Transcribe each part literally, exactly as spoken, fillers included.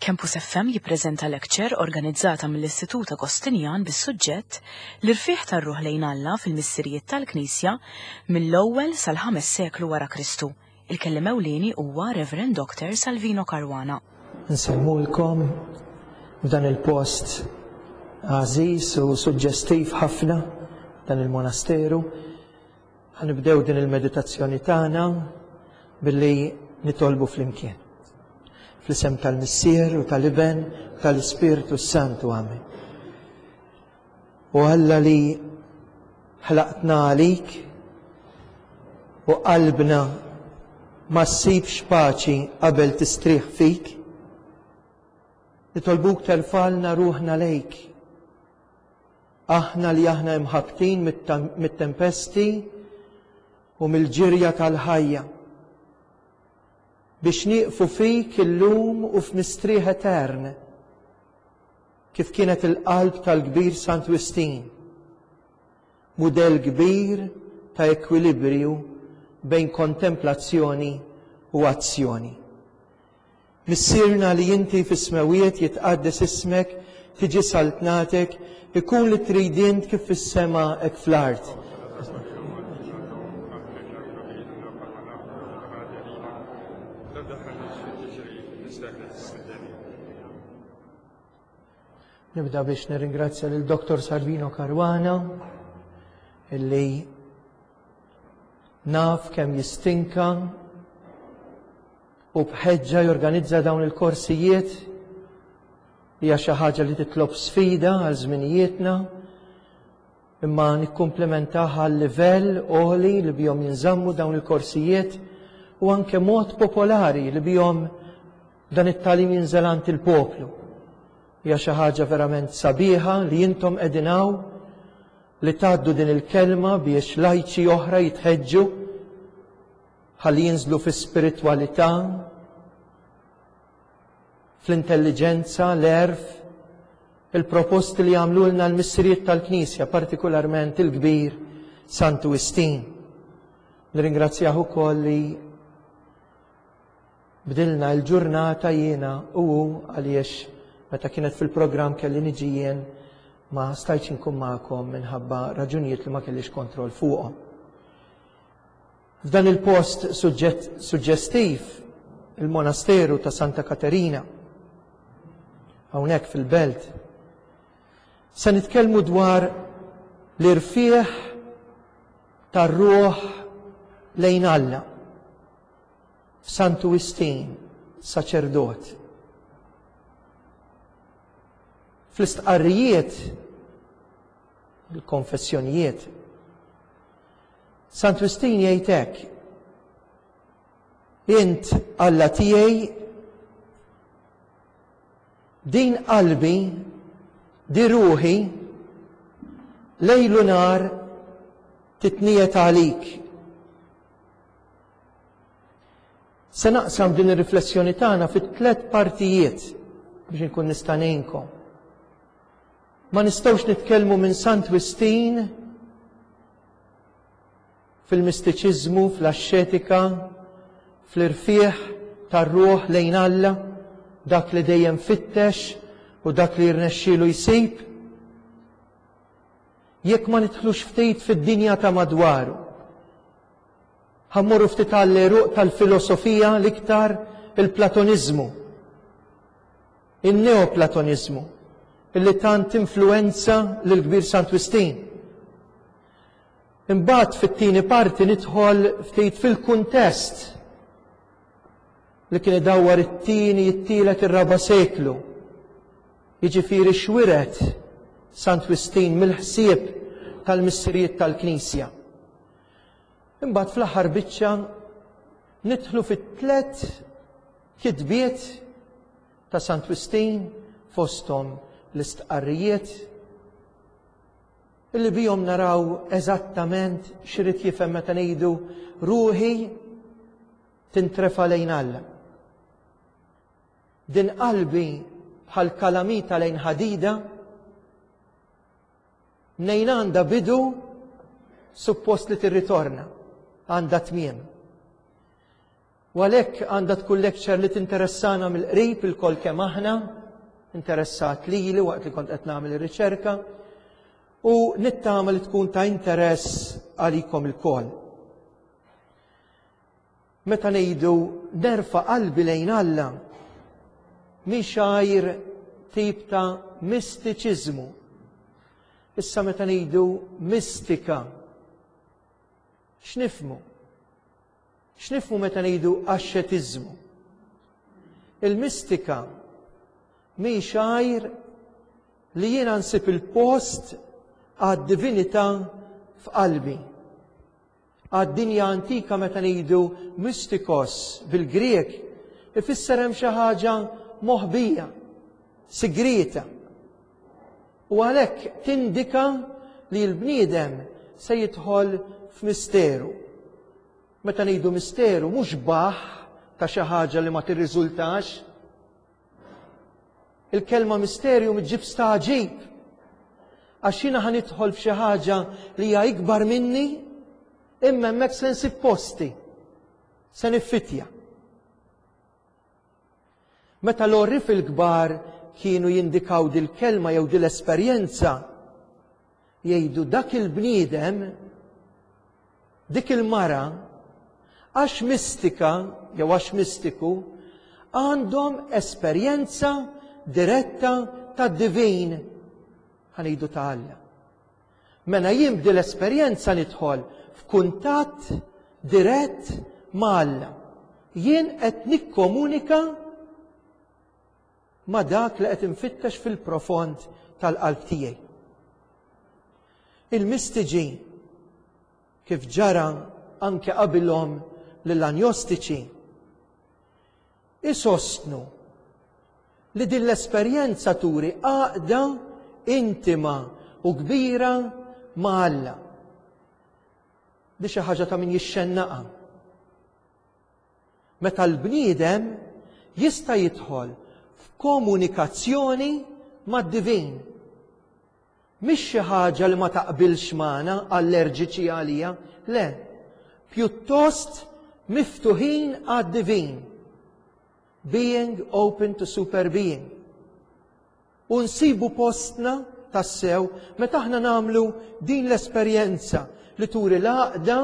Campus F M jippreżenta lecture organizzata mill-Istitut Agostinjan bis-suġġett "L-irfigħ tar-ruħ lejn Alla fil-Missirijiet tal-Knisja mill-ewwel sal-ħames seklu wara Kristu. Il-kelliem ewlieni huwa Reverend Doctor Salvino Caruana. Nsellmulkom f'dan il-post għażiż u suġġestiv ħafna, dan il-monasteru. Ħa nibdew din il-meditazzjoni tagħna billi nitolbu flimkien. Fl-isem tal-Missier u tal-Iben u tal-Ispirtu Santu. Amen. O Alla li ħlaqtna għalik u qalbna ma ssibx paċi qabel tistrieħ fik, nitolbuk terfagħlna ruħna lejk. Aħna li aħna imħabtin mit-tempesti u mill-ġirja tal-ħajja, biex nieqfu fik illum u f'mistrieħ etern, kif kienet il-qalb tal-kbir Sant Wistin, mudell kbir ta' ekwilibrju bejn kontemplazzjoni u azzjoni. Missierna li inti fis-smewiet, jitqaddes ismek, tiġi saltnatek, ikun li trid int kif fis-sema hekk fl-art. Nibda biex nirringrazzja lil Doctor Salvino Caruana, illi naf kemm jistinka u bħeġġa jorganizza dawn il-korsijiet. Hija xi ħaġa li titlob sfida għal żminijietna, imma nikkumplementaha għal livell għoli li bihom jinżammu dawn il-korsijiet u anke mod popolari li bihom dan it-tagħlim jinżel għand il-poplu. Hija xi ħaġa verament sabiħa li intom qegħdin hawn li tgħaddu din il-kelma biex lajċi oħra jitħeġġu ħalli jinżlu fi spiritwalità, fl-intelligenza, l-għerf, il-proposti li għamlulna l-missirijiet tal-Knisja, partikolarment il-kbir Santu Wistin. Nirringrazzjah ukoll li bdilna l-ġurnata jiena u hu, għaliex meta kienet fil-programm kelli niġi jien, ma stajtx inkun magħkom minħabba raġunijiet li ma kellix kontroll fuqhom. F'dan il-post suġġestiv, il-monasteru ta' Santa Katerina, hawnhekk fil-belt, se nitkellmu dwar l-irfieħ tar-ruħ lejn Alla. Santu Wistin, saċerdot. Fl-istqarrijiet, il-konfessjonijiet, Sant Wistin jgħid hekk: Int Alla tiegħi, din qalbi, di ruħi, lejlu nar titniet għalik. Se naqsam din ir-riflessjoni tagħna fi tliet partijiet biex inkun nista' ngħinkom. Ma nistgħux nitkellmu minn Sant Wistin fil-mistiċiżmu, fl-axxetika, fl-irfieħ tar-ruħ lejn Alla, dak li dejjem fittex u dak li jirnexxielu jsib, jekk ma nidħlux ftit fid-dinja ta' madwaru. Ħa mmorru ftit għall-għeruq tal-filosofija, l-iktar il-Platoniżmu, il-Neoplatoniżmu, illi tant influenza lill-kbir Sant Wistin. Imbagħad fit-tieni parti nidħol ftit fil-kuntest li kien idawwar it-tieni, it-tielet, ir-raba' seklu. Jiġifieri xwiret Sant Wistin mill-ħsieb tal-missirijiet tal-Knisja. Imbagħad fl-aħħar biċċa nidħlu fit-tliet kitbiet ta' Sant Wistin, fosthom l-istqarrijiet, illi bihom naraw eżattament x'irid jifhem meta ngħidu ruħi tintrefa' lejn Alla. Din qalbi bħal kalamita lejn ħadida, mnejn għandha bidu suppost li tirritorna, għandha tmiem. U għalhekk għandha tkun lecture li tinteressana mill-qrib ilkoll kemm aħna, interessat lili waqt li kont qed nagħmel ir-riċerka, u nittama li tkun ta' interess għalikom ilkoll. Meta ngħidu nerfa' qalbi lejn Alla, mhix għajr tip ta' mistiċiżmu. Issa meta ngħidu mistika, x'nifhmu? X'nifhmu meta ngħidu axxetiżmu? Il-mistika mhix għajr li jiena nsib il-post għad-divinità f'qalbi. Għad-dinja antika meta ngħidu mystikos bil-Grek ifisser hemm xi ħaġa moħbija, sigrieta. U għalhekk tindika li l-bniedem se jidħol f'misteru. Meta ngħidu misteru mhux baħ ta' xi ħaġa li ma tirriżultax. Il-kelma misterju miġġib staġib. Għax jiena ħa nidħol f'xi ħaġa li hija ikbar minni, imma hemmhekk se nsib posti, se niffitja. Meta l-għorrief il-kbar kienu jindikaw dil-kelma jew dil-esperjenza, jgħidu dak il-bniedem, dik il-mara, għax mistika jew għax mistiku, għandhom esperjenza diretta tad-divin, ħa ngħidu ta' Alla. Mela jien b'dil esperjenza nidħol f'kuntatt dirett ma' Alla. Jien qed nikkomunika ma' dak li qed infittex fil-profond tal-qalb tiegħi. Il-mistiġi, kif ġara anke qabilhom lill-anjostiċi, isostnu li din l-esperjenza turi għaqda intima u kbira ma' Alla. Di xi ħaġa ta' min jixxennaqa. Meta l-bniedem jista' jidħol f'komunikazzjoni mad-divin. Mhix xi ħaġa li ma taqbilx magħna, allerġiċi għalija, le, pjuttost miftuħin għad-divin. Being open to super being. U nsibu postna tassew meta aħna nagħmlu din l-esperjenza li turi l-għaqda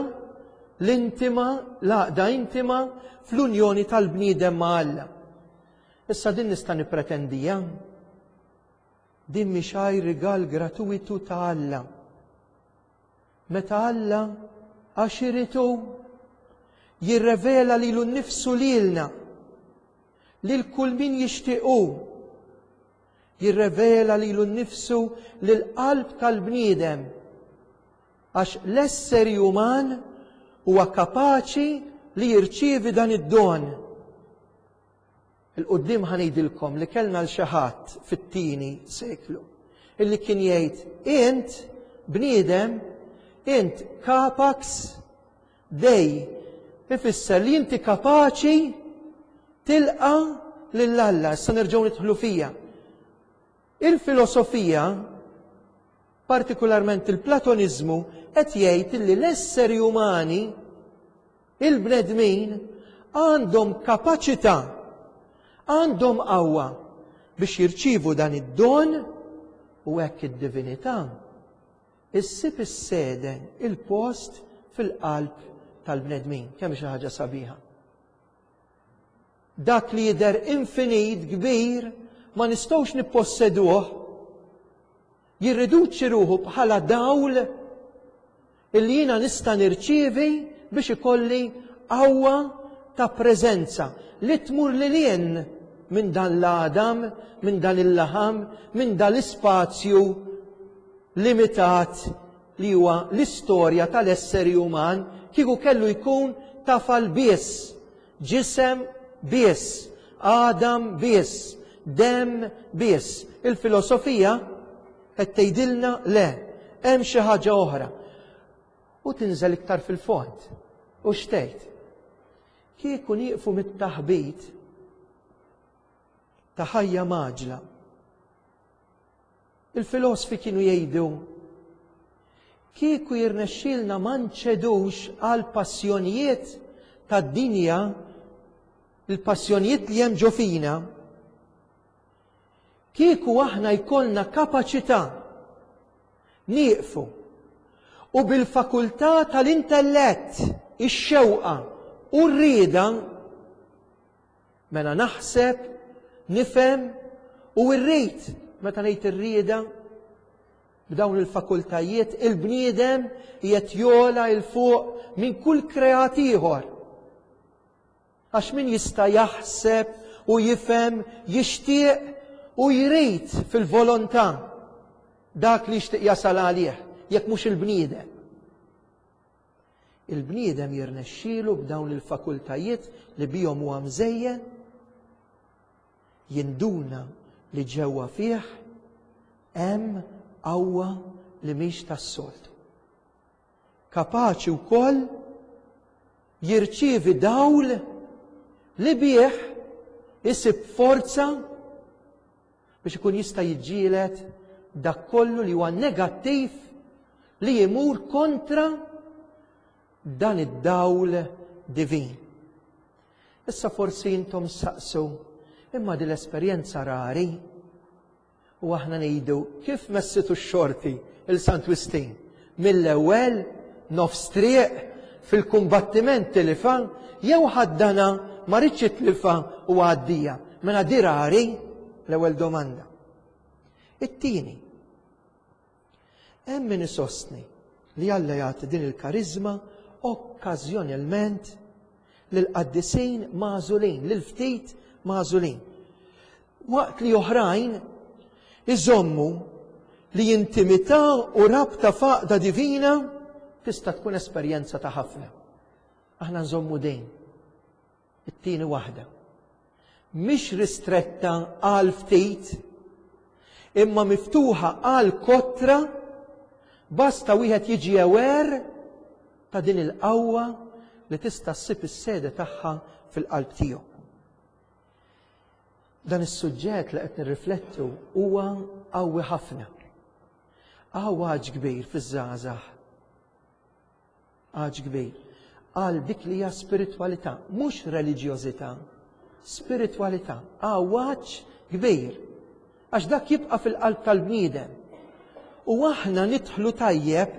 l-intima, l-għaqda intima fl-unjoni tal-bniedem ma' Alla. Issa din nista' nippretendija. Din mhix għajr rigal gratuitu ta' Alla. Meta Alla għax irid hu jirrevela lilu nnifsu lilna, lil kull min jixtiequ, jirrevela lilu nnifsu lil qalb tal-bniedem, għax l-esseri uman huwa kapaċi li jirċievi dan id-don. Il-qoddim ħa ngħidilkom li kellna l xi ħadd fit-tieni seklu illi kien jgħid int bniedem, int capax Dei, ifisser li inti kapaċi tilqa' lil Alla. Issa nerġgħu nidħlu fija. Il-filosofija, partikolarment il-Platoniżmu, qed jgħid li l-esseri umani, il-bnedmin, għandhom kapaċità, għandhom qawwa biex jirċivu dan id-don, u hekk id-divinità issib is-sede, il-post fil-qalb tal-bnedmin. Kemm xi ħaġa sabiħa. Dak li jidher infinit kbir ma nistgħux nipposseduh, jirriduċi ruħu bħala dawl illi jiena nista' nirċievi biex ikolli qawwa ta' preżenza li tmur lil hinn minn dan l-għadam, minn dan il-laħam, minn dan l-ispazju limitat li huwa l-istorja tal-esseri uman, kieku kellu jkun tafal biss, ġisem biss, għadam biss, dem biss. Il-filosofija qed tgħidilna le, hemm xi ħaġa oħra. U tinżel iktar fil-fond. U x'tgħid? Kieku nieqfu mit-taħbit ta' ħajja maġla. Il-filosfi kienu jgħidu kieku jirnexxielna ma nċedux għal passjonijiet tad-dinja Il-passjonijiet li hemm ġo fina, kieku aħna jkollna kapaċità nieqfu u bil-fakultà tal-intellett, ix-xewqa u r-rieda, mela naħseb, nifhem u rrid, meta ngħid ir-rieda, b'dawn il-fakultajiet il-bniedem qiegħed jogħla 'l fuq minn kull kreat ieħor. Għax min jista' jaħseb u jifhem, jixtieq u jrid fil-volontà dak li jixtieq jasal għalih, jekk mhux il-bniedem. Il-bniedem jirnexxielu b'dawn il-fakultajiet li bihom huwa mżejjen jinduna li ġewwa fih hemm qawwa li mhix tas-soltu. Kapaċi wkoll jirċievi dawl li bih isib forza biex ikun jista' jiġġieled dak kollu li huwa negattiv li jmur kontra dan id-dawl divin. Issa forsi intom saqsu, imma din l-esperjenza rari, u aħna ngħidu kif messitu x-xorti il Sant Wistin mill-ewwel nofs triq fil-kumbattiment tilifha jew ħaddana ma ridx jitlifha u għaddija. Mela di rari l-ewwel domanda. It-tieni, hemm min isostni li Alla jagħti din il-kariżma okkażjonalment lill-qaddisin magħżulin, lil ftit magħżulin. Waqt li oħrajn iżommu li intimità u rabta faqda divina tista' tkun esperjenza ta' ħafna. Aħna nżommu dejn. It-tieni waħda. Mhix ristretta għal ftit, imma miftuħa għal kotra, basta wieħed jiġi aware ta' din il-qawwa li tista' ssib is-sede tagħha fil-qalb tiegħu. Dan is-suġġett li qed nirriflettu huwa qawwi ħafna. Għawaġ kbir fiż-żgħażagħ. Għaġ kbir għal dik li hija spiritwalità, mhux reliġjożità, spiritwalità, għawaġ kbir. Għax dak jibqa' fil-qalb tal-bniedem. U aħna nidħlu tajjeb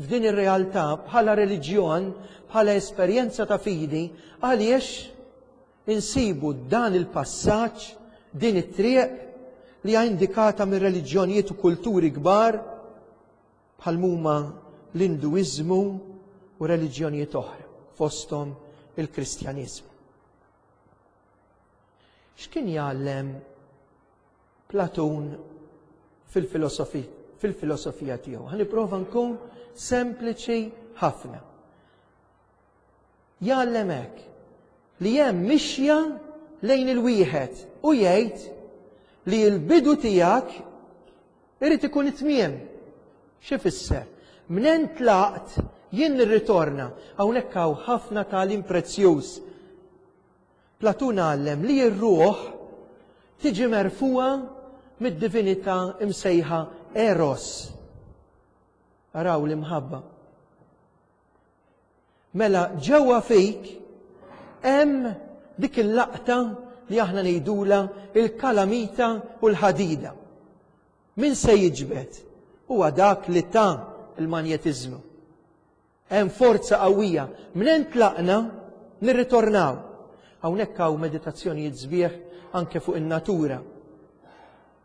f'din ir-realtà bħala reliġjon, bħala esperjenza ta' fidi, għaliex insibu dan il-passaġġ, din it-triq li hija indikata minn reliġjonijiet u kulturi kbar bħal huma l-Induiżmu u reliġjonijiet oħra, fosthom il-Kristjaniżmu. X'kien jgħallem Platun fil-filosofija tiegħu? Ħa nipprova nkun sempliċi ħafna. Jgħallem hekk li hemm mixja lejn il-wieħed u jgħid li l-bidu tiegħek irid ikun it-tmiem. X'ifisser? Mnen tlaqt jien nirritorna. Hawnhekk hawn ħafna tagħlim prezzjuż. Platun għallem li r-ruħ tiġi merfuha mid-divinità imsejħa Eros. Araw l-imħabba. Mela ġewwa fik hemm dik il-laqta li aħna ngħidula il-kalamita u l-ħadida. Min se jiġbed? Huwa dak li ta' il-manjetiżmu. Hemm forza qawwija. Minn tlaqna nirritornaw. Hawnhekk hawn meditazzjonijiet sbieħ anke fuq in-natura.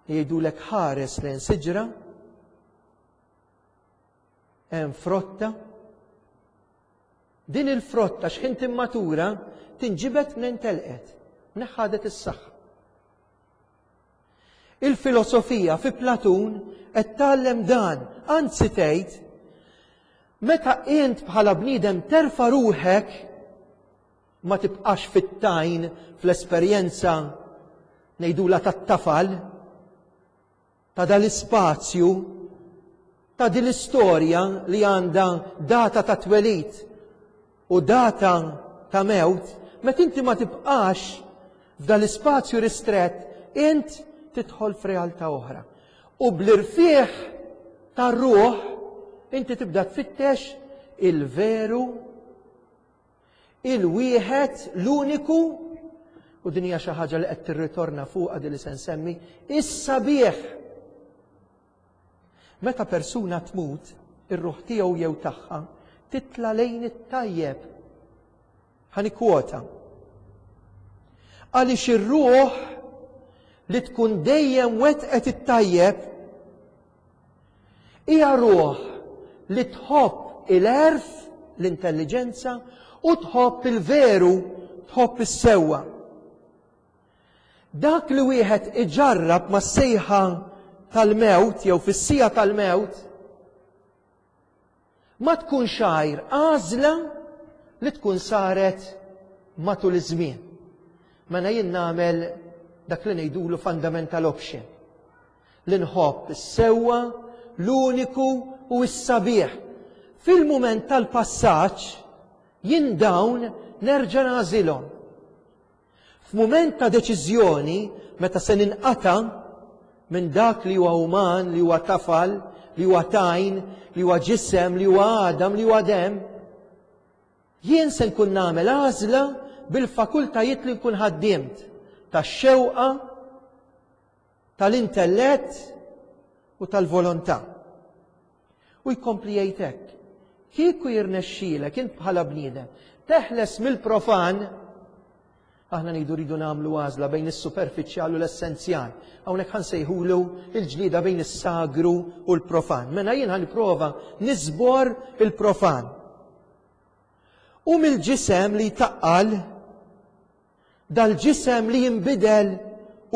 Jgħidulek ħares lejn siġra, hemm frotta. Din il-frotta x'ħin timmatura tinġibed minn telqet, neħħadet is-saħħa. Il-filosofija fi Platun qed tgħallem dan, anzi tgħid meta int bħala bniedem terfa' ruħek ma tibqax fit-tajn fl-esperjenza ngħidula tat-tafal ta' dal-ispazju ta' din l-istorja li għandha data ta' twelid u data ta' mewt, meta inti ma tibqax f'dal-ispazju ristrett, int tidħol f'realtà oħra. U bl-irfieħ tar-ruħ inti tibda tfittex il-veru, il-wieħed, l-uniku U din hija xi ħaġa li qed tirritorna fuqha din li se nsemmi, is-sabiħ. Meta persuna tmut, ir-ruħ tiegħu jew tagħha titla' lejn it-tajjeb. Ħa nikkwota. Għaliex ir-ruħ li tkun dejjem wetqet it-tajjeb hija ruħ li tħobb il-għerf, l-intelliġenza, u tħobb il-veru, tħobb is-sewwa. Dak li wieħed iġarrab mas-sejħa tal-mewt jew fis-siegħa tal-mewt ma tkunx għajr għażla li tkun saret matul iż-żmien. Mela jien nagħmel dak li ngħidulu fundamental option. Li nħobb is-sewwa, l-uniku u s-sabiħ. Fil-mument tal-passaġġ jien dawn nerġa' nagħżilhom. F'mument ta' deċiżjoni meta se ninqata' minn dak li huwa uman, li huwa tafal, li huwa tajn, li huwa ġisem, li huwa għadam, li huwa demm, jien se nkun nagħmel għażla bil-fakultajiet li nkun ħaddimt tax-xewqa, tal-intellett u tal-volontà. U jkompli jgħid hekk, kieku jirnexxielek int bħala bniedem teħles mill-profan, aħna ngħidu rridu nagħmlu għażla bejn is-superfiċjal u l-essenzjal. Hawnhekk ħa nsejħulu il-ġlieda bejn is-sagru u l-profan. Mela jien ħa nipprova niżbor il-profan. U mill-ġisem li jtaqqal, dal-ġisem li jinbidel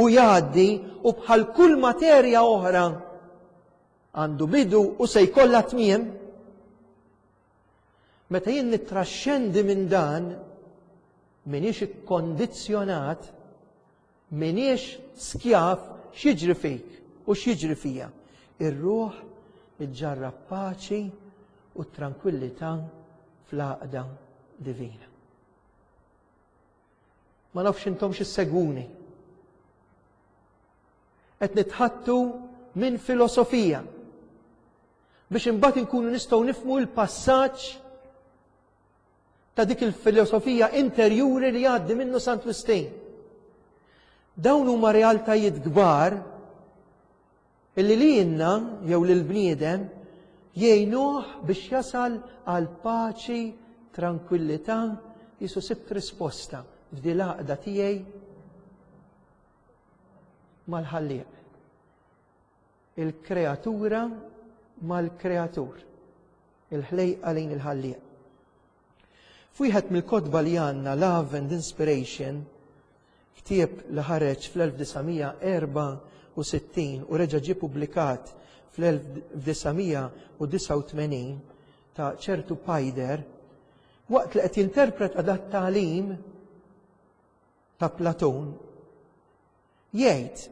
u jgħaddi u bħal kull materja oħra għandu bidu u se jkollha tmiem. Meta jien nittraxxendi minn dan, m'iniex ikkondizzjonat, m'iniex skjav, x'jiġri fik u x'jiġri fija. Ir-ruħ iġġarrab paċi u tranquillità fl-għaqda divina. Ma nafx intom x'issegwuni. Qed nitħattu minn filosofija biex imbagħad inkunu nistgħu nifhmu l-passaġġ ta' dik il-filosofija interjuri li jgħaddi minnu Sant Wistin. Dawn huma realtajiet kbar illi lilna jew lill-bniedem jgħinuh biex jasal għal paċi, tranquillità, jisu sibt risposta f'di l-għaqda tiegħi mal-Ħallieq. Il-kreatura mal-kreatur. Il-ħlejqa lejn il-Ħallieq. F'wieħed mill-kotba li għandna, Love and Inspiration, ktieb li ħareġ fl-elf disa' mija erba' u sittin u reġa' ġie pubblikat fl-elf disa' mija u disgħa u tmenin ta' ċertu Paider, waqt li qed jinterpreta dat tagħlim ta' Platun, jgħid,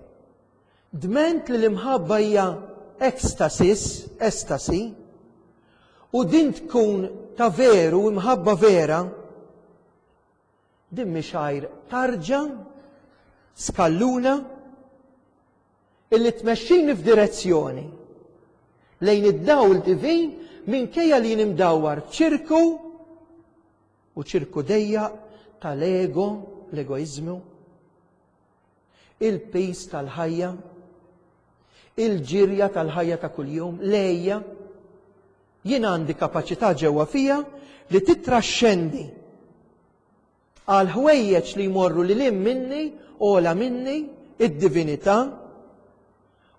dment li l-imħabba hija ekstasis, estasi, u din tkun ta' veru, imħabba vera, din mhix għajr tarġa, skalluna, illi tmexxini f'direzzjoni lejn id-dawl divin minkejja li jien imdawwar ċirku u ċirku dejjaq tal-ego, l-egoizmu, il-pis tal-ħajja, il-ġirja tal-ħajja ta' kuljum, lejja. Jien għandi kapaċità ġewwa fija li titraxxendi għal ħwejjeġ li jmorru lil hinn minni, ola minni, id-divinità,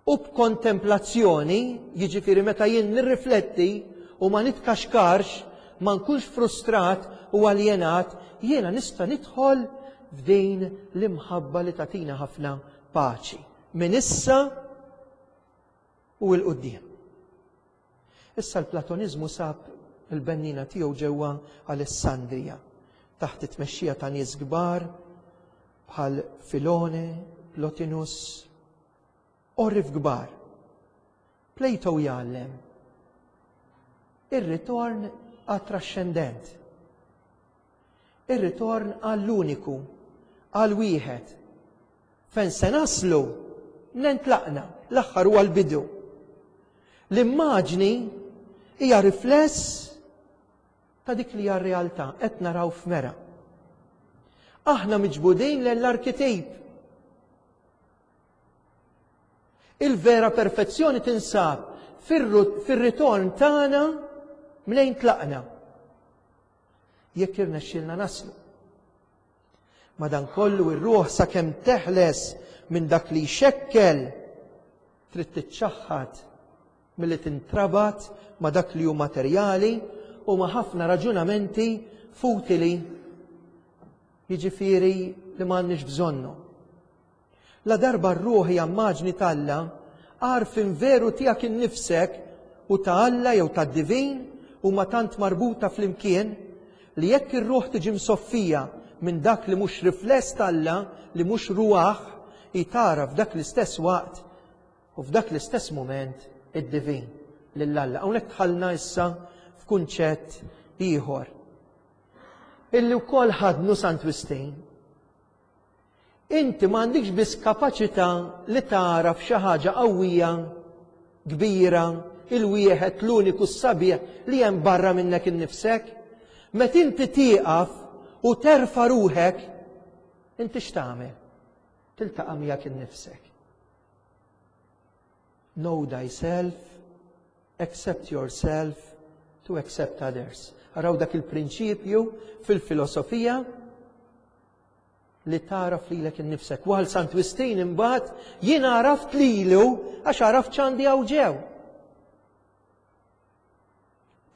u b'kontemplazzjoni, jiġifieri meta jien nirrifletti u ma nitkaxkarx, ma nkunx frustrat u aljenat, jiena nista' nidħol f'din l-imħabba li tagħtina ħafna paċi. Minn issa u 'l quddiem. Issa l-Platonizmu sab il-bennina tiegħu ġewwa Alessandrija, taħt it-tmexxija ta' nies kbar bħal Filone, Plotinus, orrif kbar. Plato jgħallem ir-ritorn għat-trascendent, ir-ritorn għall-uniku, għal-wieħed. Fejn se naslu, nentlaqna, l-aħħar huwa l-bidu. L-immaġni hija rifless ta' dik li hija r-realtà, qed naraw f'mera. Aħna miġbudin lejn l-arkitip. Il-vera perfezzjoni tinsab fir-ritorn tagħna mnejn tlaqna. Jekk irnexxielna naslu. Madankollu ir-ruħ sakemm teħles minn dak li jxekkel trid tiċċaħħad milli tintrabat ma' dak li hu materjali u ma' ħafna raġunamenti futili, jiġifieri li m'għandniex bżonnu. La darba r-ruħ hija immaġni t'Alla, għarfien veru tiegħek innifsek u ta' Alla jew tad-divin huma tant marbuta flimkien li jekk ir-ruħ tiġi msoffija minn dak li mhux rifless t'Alla, li mhux ruaħ, hi tara f'dak l-istess waqt u f'dak l-istess mument id-divin lil Alla. Hawnhekk dħalna issa f'kunċett ieħor illi wkoll ħadnu Sant Wistin. Inti m'għandikx biss kapaċità li tara f'xi ħaġa qawwija, kbira, il-wieħed l-uniku s-sabiħ li hemm barra minnek innifsek. Meta inti tieqaf u terfa' ruħek, inti x'tagħmel? Tiltaqa' miegħek innifsek. Know thyself, accept yourself, to accept others. Araw dak il-prinċipju fil-filosofija li tagħraf lilek innifsek. Għal Sant Wistin imbagħad jien għaraft lilu għax għaraft x'għandi hawn ġew.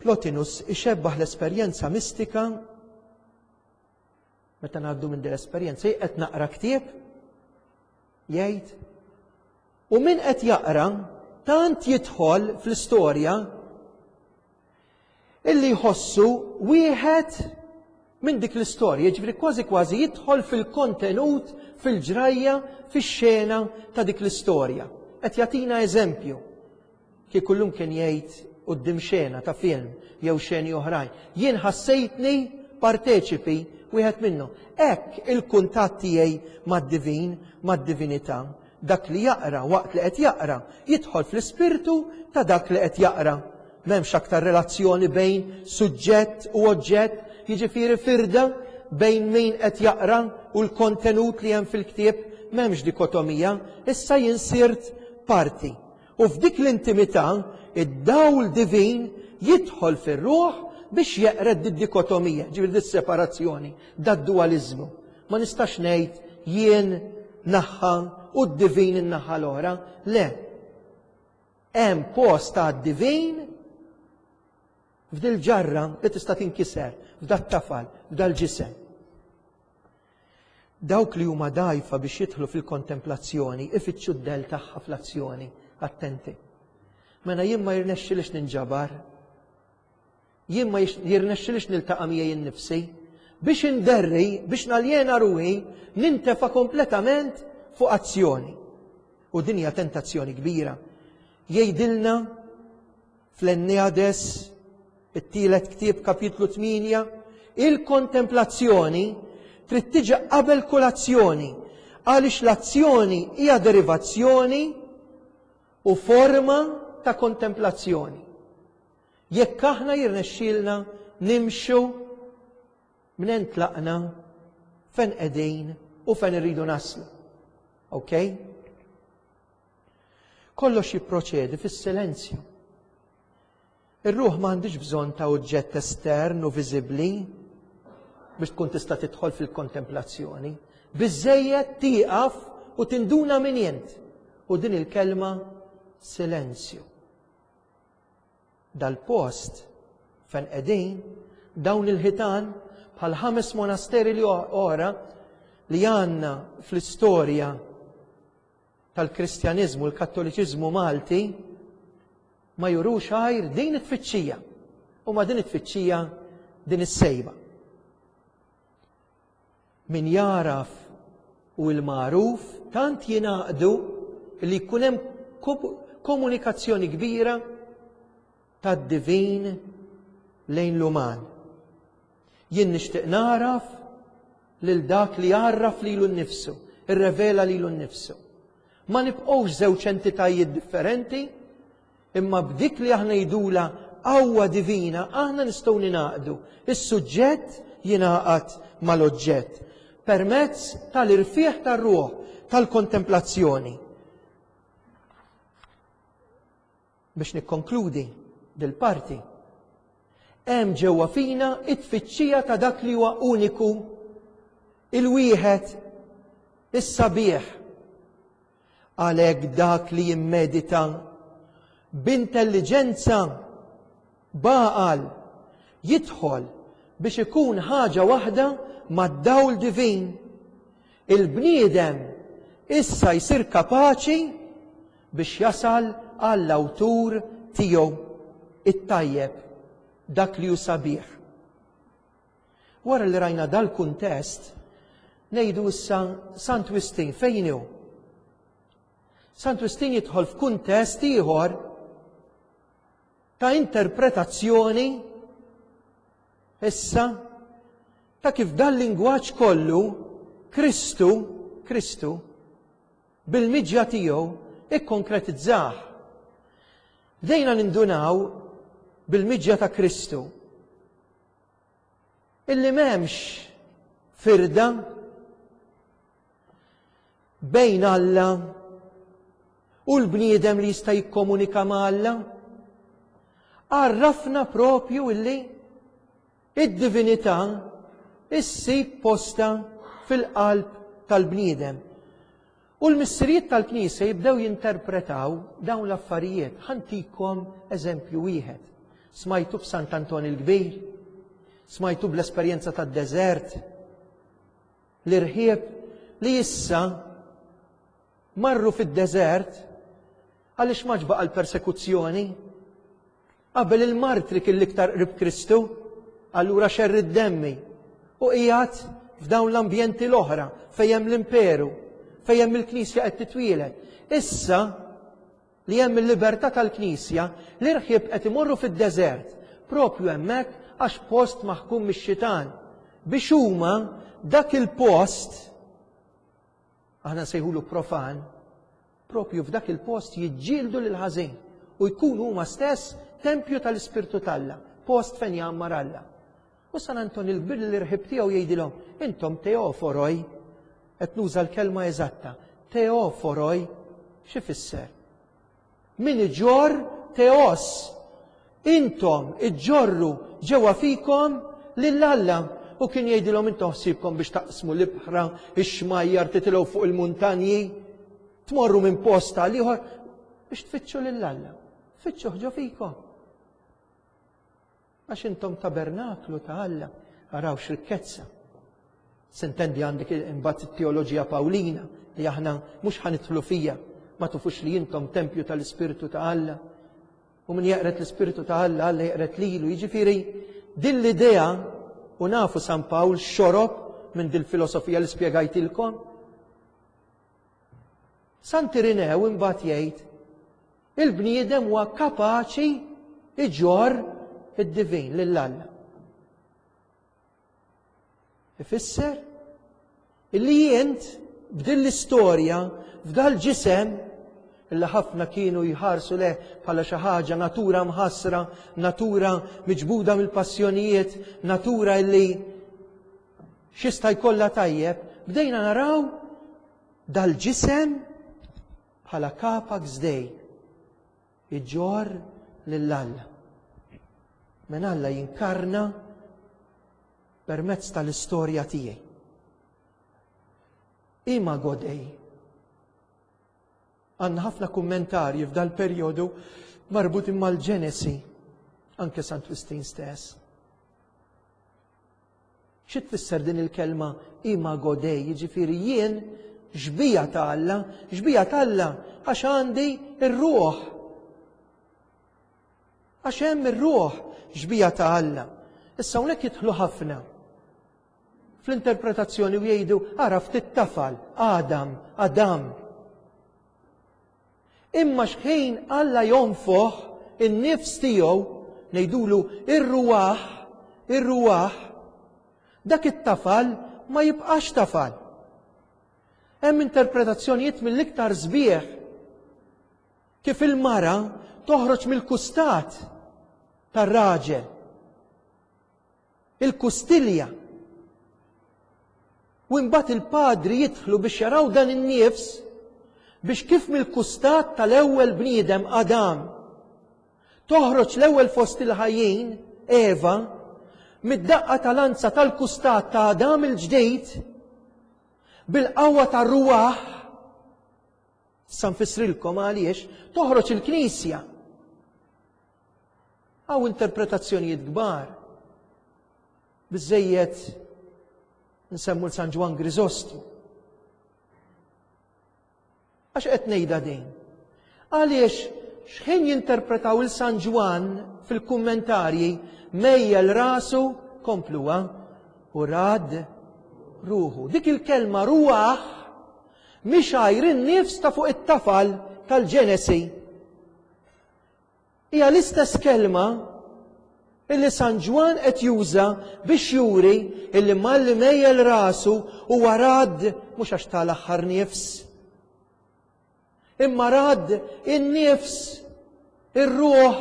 Plotinus ixebbaħ l-esperjenza mistika. Meta ngħaddu minn din l-esperjenza, qed naqra ktieb, jgħid, u min qed jaqra tant jidħol fl-istorja illi jħossu wieħed minn dik l-istorja, jiġifieri kważi kważi jidħol fil-kontenut, fil-ġrajja, fix-xena ta' dik l-istorja. Qed jagħtina eżempju. Kieku llum kien jgħid quddiem xena ta' film jew xeni oħrajn, jien ħassejtni parteċipi wieħed minnhom. Hekk il-kuntatt tiegħi mad-divin, mad-divinità, dak li jaqra waqt li qed jaqra jidħol fl-ispirtu ta' dak li qed jaqra. M'hemmx aktar relazzjoni bejn suġġett u oġġett, jiġifieri firda bejn min qed jaqra u l-kontenut li hemm fil-ktieb, m'hemmx dikotomija, issa jien sirt parti. U f'dik l-intimità, id-dawl divin jidħol fir-ruħ biex jeqred did-dikotomija, ġifieri dis-separazzjoni, dad-dualizmu. Ma nistax ngħid jien naħħa u d-divin in-naħa l-oħra, le. Hemm post għad-divin f'dil ġarra li tista' tinkiser, f'dat-tafal, f'dal-ġisem. Dawk li huma dgħajfa biex jidħlu fil-kontemplazzjoni, ifittxu d-del tagħha fl-azzjoni, attenti. Mela jien ma jirnexxilix ninġabar, jien ma jirnexxilix niltaqa' miegħi innifsi, biex inderri, biex naljena ruħi, nintefa' kompletament fuq azzjoni. U din hija tentazzjoni kbira. Jgħidilna fl-Enneades, it-tielet ktieb kapitlu tmienja, il-kontemplazzjoni trid tiġi qabel kull azzjoni, għaliex l-azzjoni hija derivazzjoni u forma ta' kontemplazzjoni. Jekk aħna jirnexxielna nimxu minn tlaqna fejn qegħdin u fejn irridu naslu. Ok? Kollox jipproċedi fis-silenzju. Ir-ruħ m'għandix bżonn ta' oġġett estern u viżibbli biex tkun tista' tidħol fil-kontemplazzjoni. Biżżejjed tieqaf u tinduna min int. U din il-kelma silenzju. Dal-post fejn qegħdin dawn il-ħitan bħal ħames monasteri li oħra li għandna fl-istorja tal-Kristjaniżmu, l-Kattoliċiżmu Malti, ma jurux għajr din it-tfittxija. U ma din it-tfittxija din is-sejba. Min jaraf u l-magħruf tant jingħaqdu li jkun hemm komunikazzjoni kbira tad-divin lejn l-uman. Jien nixtieq naraf lil dak li għarraf lilu nnifsu, irrevela lilu nnifsu. Ma nibqgħux żewġ entitajiet differenti, imma b'dik li aħna jidula qawwa divina, aħna nistgħu ninaqdu. Is-suġġett jingħaqad mal-oġġett. permezz tal-irfieħ tar-ruħ, tal-kontemplazzjoni. Biex nikkonkludi dil-parti, hemm ġewwa fina it-tfittxija ta' dak li huwa uniku, il-wieħed, is-sabiħ. Għalhekk dak li jimmedita b'intelliġenza b'għaqal jidħol biex ikun ħaġa waħda mad-dawl divin. Il-bniedem issa jsir kapaċi biex jasal għall-awtur tiegħu, it-tajjeb, dak li hu sabiħ. Wara li rajna dal-kuntest, ngħidu issa Sant Wistin fejn hu? Sant Wistin jidħol f'kuntest ieħor ta' interpretazzjoni issa ta' kif dal-lingwaġġ kollu Kristu, Kristu bil-miġja tiegħu ikkonkretizzah. Bdejna nindunaw bil-miġja ta' Kristu illi m'hemmx firda bejn Alla u l-bniedem li jista' jikkomunika ma' Alla. Għarrafna propju illi id-divinità issib posta fil-qalb tal-bniedem. U l-missirijiet tal-Knisja jibdew jinterpretaw dawn l-affarijiet. Ħantikom eżempju wieħed. Smajtu b'Sant Anton il-Kbir, smajtu bl-esperjenza tad-deżert, l-irħieb li issa marru fid-deżert għaliex ma baqa' l-persekuzzjoni. Qabel il-martri kien l-iktar qrib Kristu, allura xerr id-demmi u qiegħed f'dawn l-ambjenti l-oħra fejn hemm l-imperu, fejn hemm il-Knisja qed titwieled. Issa li hemm il-libertà tal-Knisja, l-irħieb qed imorru fid-deżert, propju hemmhekk għax post maħkum mix-xitan, biex huma dak il-post, aħna nsejħulu profan, propju f'dak il-post jiġġieldu lil ħażin u jkunu huma stess tempju tal-Ispirtu t'Alla, post fejn jgħammar Alla. U San Anton il-Kbir l-irħib tiegħu jgħidilhom, intom teoforoj, qed nuża l-kelma eżatta, teoforoj, x'ifisser? Min iġorr teos, intom iġorru ġewwa fikom lil Alla. U kien jgħidilhom intom ħsiebkom biex taqsmu l-ibħra, ix-xmajjar, titilgħu fuq il-muntanji, tmorru minn post għal ieħor biex tfittxu lil Alla. Fittxuh ġo fikom. Għax intom tabernaklu ta' Alla, araw x'rikkezza. Sintendi għandek imbagħad it-teoloġija Pawlina li aħna mhux ħanidħlu fija, ma tufux li intom tempju tal-Ispirtu ta' Alla. U min jeqred l-Ispirtu ta' Alla, Alla jeqred lilu. Jiġifieri din l-idea, u nafu San Pawl xorob minn dil-filosofija li spjegajtilkom. Sant Irinew imbagħad jgħid il-bniedem huwa kapaċi iġorr id-divin lil Alla. Ifisser illi jent b'din l-istorja, f'dal ġisem illi ħafna kienu jħarsu leh bħala xi ħaġa natura mħassra, natura miġbuda mill-passjonijiet, natura illi x'jista' jkollha tajjeb, bdejna naraw dal-ġisem bħala kapax dei iġorr lil Alla. Men Alla jinkarna permezz tal-istorja tiegħi. Imago Dei. Għandna ħafna kummentarji f'dal perjodu marbutin mal-Ġenesi, anke Sant Wistin stess. Xi tfisser din il-kelma Imago Dei? Jiġifieri jien xbija ta' Alla, xbija ta' Alla għax għandi ir-ruħ. Għax hemm ir-ruħ xbija ta' Alla. Issa hawnhekk jidħlu ħafna fl-interpretazzjoni u jgħidu ara ftit tafal, Adam, Adam. Imma x'ħin Alla jonfoħ in-nifs tiegħu, ngħidulu ir-ruwaħ, ir-ruwaħ, dak it-tafal ma jibqax tafal. Hemm interpretazzjonijiet mill-iktar sbieħ kif il-mara toħroġ mill-kustat tar-raġel. Il-kustilja. U imbagħad il-padri jidħlu biex jaraw dan in-nifs biex kif mill-kustat tal-ewwel bniedem Adam toħroġ l-ewwel fost il-ħajjin Eva mid-daqqa tal-anza tal-kustat ta' Adam il-ġdid bil-qawwa tar-ruwaħ sa nfissrilkom għaliex toħroġ il-Knisja. Hawn interpretazzjonijiet kbar. Biżejjed nsemmu l-San Ġwann Griżostmu. Għax qed ngħidha din? Għaliex x'ħin jinterpretaw il-San Ġwann fil-kummentarji mejjel rasu kompluha u rad ruħu. Dik il-kelma ruħ mhix għajr in-nifs ta' fuq it-tafal tal-Ġenesi. Hija l-istess kelma illi San Ġwann qed juża biex juri illi malli mejjel rasu huwa rad mhux għax tal-aħħar nifs. Imma rad in-nifs, ir-ruħ,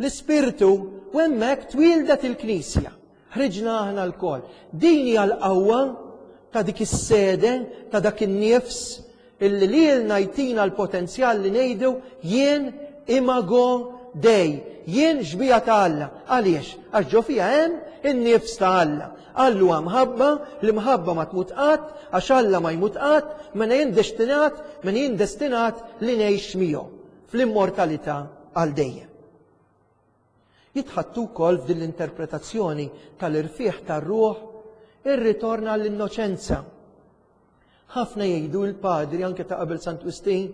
l-ispirtu u hemmhekk twildet il-Knisja. Ħriġna aħna lkoll. Din hija l-qawwa ta' dik is-sede, ta' dak in-nifs illi lilna jtina l-potenzjal li ngħidu jien imago Dei, jien xbieha ta' Alla. Għaliex? Għax ġo fija hemm in-nifs ta' Alla. Alla huwa mħabba, l-imħabba ma tmut qatt, għax Alla ma jmut qatt, mela jien destinat, mela jien destinat li ngħix miegħu fl-immortalità għal dejjem. Jitħattu wkoll f'din l-interpretazzjoni tal-irfieħ tar-ruħ ir-ritorn għall-innoċenza. Ħafna jgħidu l-padri anke ta' qabel Sant Wistin,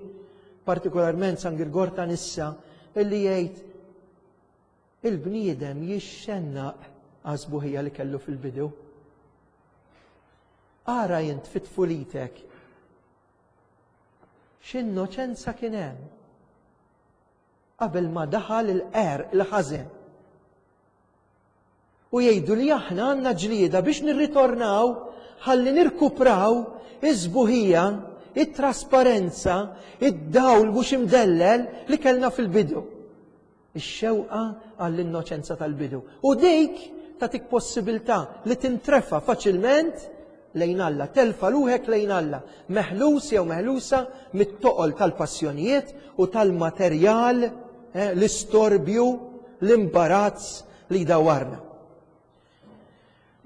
partikolarment San Girgor ta' Nissa, illi jgħid il-bniedem jixxennaq għaż-sbuħija li kellu fil-bidu. Ara jint fit-tfulitek x'innoċenza kien hemm qabel ma daħal il-qerq, il-ħażen. U jgħidu li aħna għandna ġlieda biex nirritornaw ħalli nirkupraw iż-sbuħija, it-trasparenza, id-dawl mhux imdellel li kellna fil-bidu. Ix-xewqa għall-innoċenza tal-bidu. U dik tagħtik possibilità li tintrefa faċilment lejn Alla, telfa ruħek lejn Alla, meħlus jew meħlusa mit-toqol tal-passjonijiet u tal-materjal, eh, l-istorbju, l-imbarazz li jdawarna.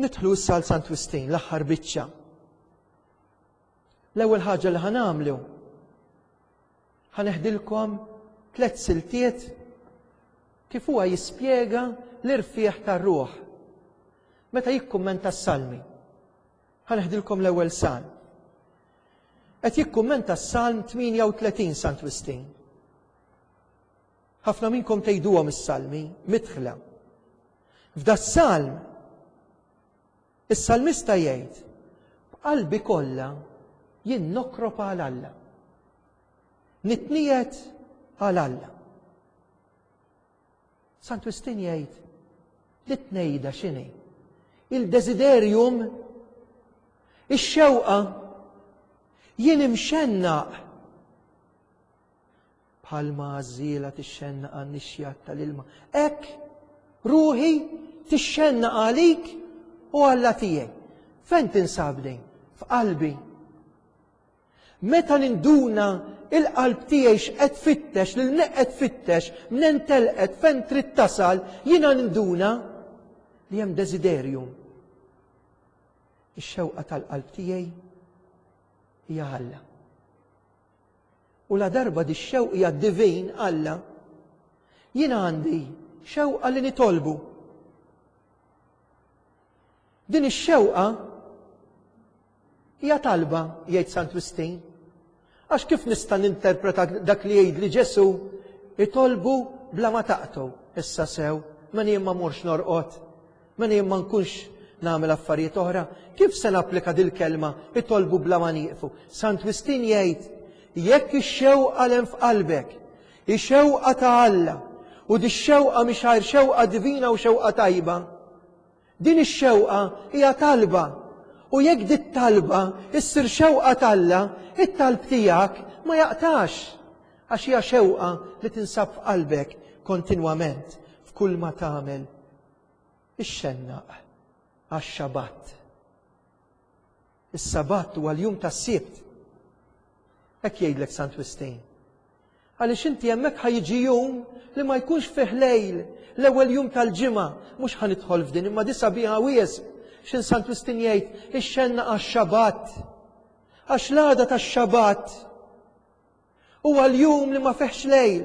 Nidħlu issa għal Sant Wistin, l-aħħar biċċa. L-ewwel ħaġa li ħanamlu ħaneħdilkom tliet siltiet kif huwa jispjega l-irfieħ tar-ruħ meta jikkummenta s-salmi. Ħaneħdilkom l-ewwel salm. Qed jikkummenta s-salm tmienja u tletin Sant Wistin. Ħafna minnkom tgħiduhom is-salmi midħla. F'da s-salm is-salmista jgħid b'qalbi kollha jien nokrob għal Alla. Nitniet għal Alla. Sant Wistin jgħid li tnejda x'inhi? Il-desiderjum, ix-xewqa, jien imxennaq bħalma għażiela tixxennaq għan-nixjat tal-ilma. Hekk ruħi tixxennaq għalik u Alla tiegħi. Fejn tinsab din? F'qalbi. Meta ninduna il-qalb tiegħi x'qed tfittex, lil min qed tfittex, minn telqet, fejn trid tasal, jiena ninduna li hemm desiderjum. Ix-xewqa tal-qalb tiegħi hija Alla. U la darba di x-xewqa hija divin Alla, jiena għandi xewqa li nitolbu. Din ix-xewqa hija talba, jgħid Sant Wistin. Għax kif nista' ninterpreta dak li jgħid li Ġesu itolbu bla ma taqtgħu? Issa sew, mela jien ma mmurx norqod, mela jien ma nkunx nagħmel affarijiet oħra. Kif se napplika dil-kelma itolbu bla ma nieqfu? Sant Wistin jgħid jekk ix-xewqa l f'qalbek, ix-xewqa ta' Alla, u di x-xewqa mhix għajr xewqa divina u xewqa tajba, din ix-xewqa hija talba. U jekk dit talba issir xewqa t'Alla, it-talb tiegħek ma jaqtax, għax hija xewqa li tinsab f'qalbek kontinwament f'kull ma tagħmel. Ixxennaq għax-Xabat. Is-Sabat huwa l-jum tas-Sibt. Hekk jgħidlek Sant Wistin. Għaliex inti hemmhekk ħa jiġi jum li ma jkunx fih lejl, l-ewwel jum tal-ġimgħa, mhux ħa nidħol f'din, imma disa biha wisq. X'in Sant Wistin jgħid, ixxenna għax-Xabat. Għax l-għada tax-Xabat huwa l-jum li ma fihx lejl.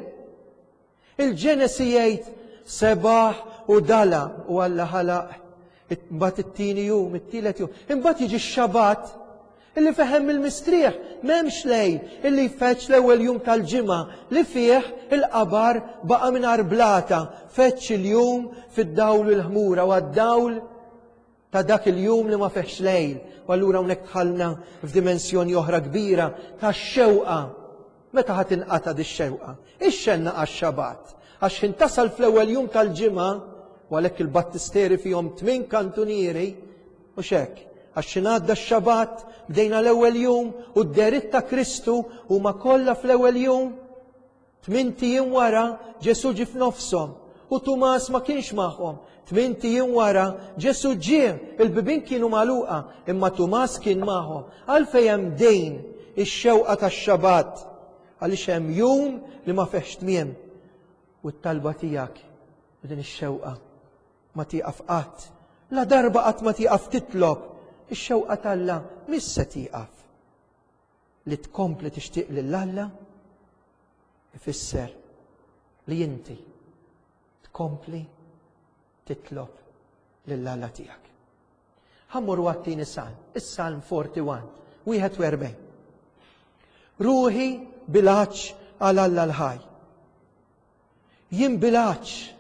Il-Ġenesi jgħid sebaħ u dala u Alla ħalaq. Imbagħad it-tieni jum, it-tielet jum. Imbagħad jiġi x-Xabat illi fehem il-mistrieħ, m'hemmx lejl illi jfeċ l-ewwel jum tal-ġimgħa li fih il-qabar baqa' mingħajr blata, feċ il-jum fid-dawl u l-ħmura u għad-dawl ta' dak il-jum li ma fihx lejl. U allura hawnhekk dħalna f'dimensjoni oħra kbira ta' xewqa. Meta ħa tinqata' dix-xewqa? Ixxenna għax-Xabat. Għax ħin tasal fl-ewwel jum tal-ġimgħa, u għalhekk il-battisteri fihom tmien kantunieri, u xek, għax xi ngħadda x-Xabat, bdejna l-ewwel jum u d-deritt ta' Kristu huma kollha fl-ewwel jum. Tmint ijiem wara Ġesù ġie f'nofshom u Tumas ma kienx magħhom. Tmint ijiem wara Ġesù ġie, il-bibien kienu magħluqa, imma Tumas kien magħhom. Għalfejn hemm dejn ix-xewqa tax-Xabat? Għaliex hemm jum li ma fihx tmiem. U t-talba tiegħek u din ix-xewqa ma tieqaf qatt. La darba qatt ma tieqaf titlob, ix-xewqa t'Alla mhix se tieqaf. Li tkompli tixtieq lil Alla ifisser li inti tkompli titlob lil Alla tiegħek. Ħammur għat-tieni salm, is-Salm forty-one, wieħed u erbgħin. Ruħi bil-għatx għal Alla l-ħaj. Jien bil-għatx.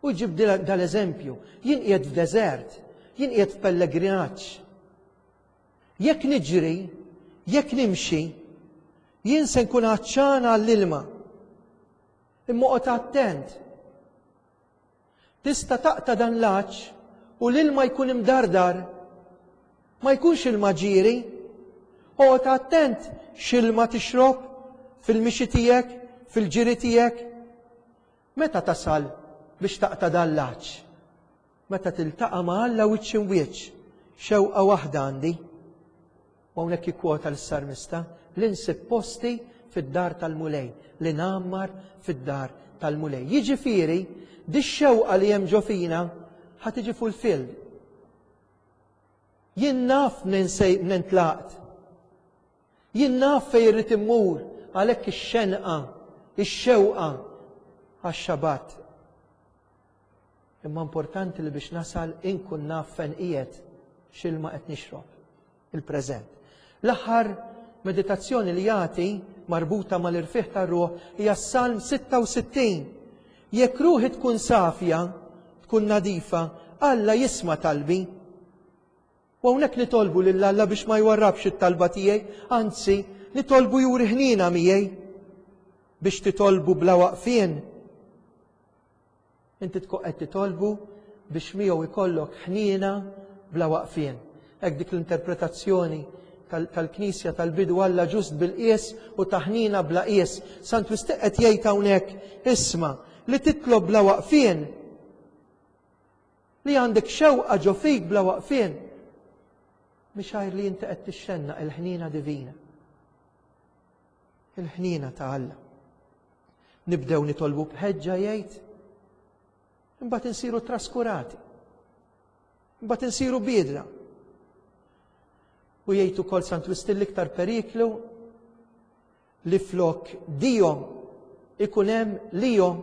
U ġib dal-eżempju, jien qiegħed f'deżert, jien qiegħed f'pellegrinaġġ. Jekk niġri, jekk nimxi, jien se nkun għatxan għall-ilma. Imma oqgħod attent. Tista' taqta' dan l-għatx u l-ilma jkun imdardar. Ma jkunx ilma ġieri. Oqgħod attent x'ilma tixrob fil-mixi tiegħek, fil-ġiri tiegħek. Meta tasal biex taqta' dan l-għatx? Meta tiltaqa' ma' Alla wiċċ imwiċċ, xewqa waħda għandi. U hawnhekk jikkwota l-salmista li nsib posti fid-dar tal-Mulej, li ngħammar fid-dar tal-Mulej. Jiġifieri, di x-xewqa li hemm ġo fina ħa tiġi fulfilled. Jien naf minn sej minn tlaqt. Jien naf fejn irrid immur, għalhekk ix-xenqa, ix-xewqa għax-Xabat. Imma importanti li biex nasal inkun naf fejn qiegħed, x'ilma qed nixrob, il-preżent. L-aħħar meditazzjoni li jagħti marbuta mal-irfieħ tar-ruħ hija s-Salm sitta u sittin. Jekk ruħi tkun safja, tkun nadifa, Alla jisma' talbi. U hawnhekk nitolbu lil Alla biex ma jwarrabx it-talba tiegħi, anzi nitolbu juri ħniena miegħi biex titolbu bla waqfien. Inti tkun qed titolbu biex miegħu ikollok ħniena bla waqfien. Hekk dik l-interpretazzjoni tal-, tal-Knisja tal-bidu, Alla ġust bil-qies u taħnina bla qies. Sant Wistin qed jgħid hawnhekk, isma' li titlob bla waqfien, li għandek xewqa ġo fik bla waqfien, mhix għajr li inti qed tixxenna il-ħniena divina. Il-ħniena ta' Alla. Nibdew nitolbu b'ħeġġa jgħid, imbagħad insiru traskurati. Imbagħad insiru biedra. U jgħid ukoll Sant Wistin l-iktar periklu li flok dijom ikun hemm lihom,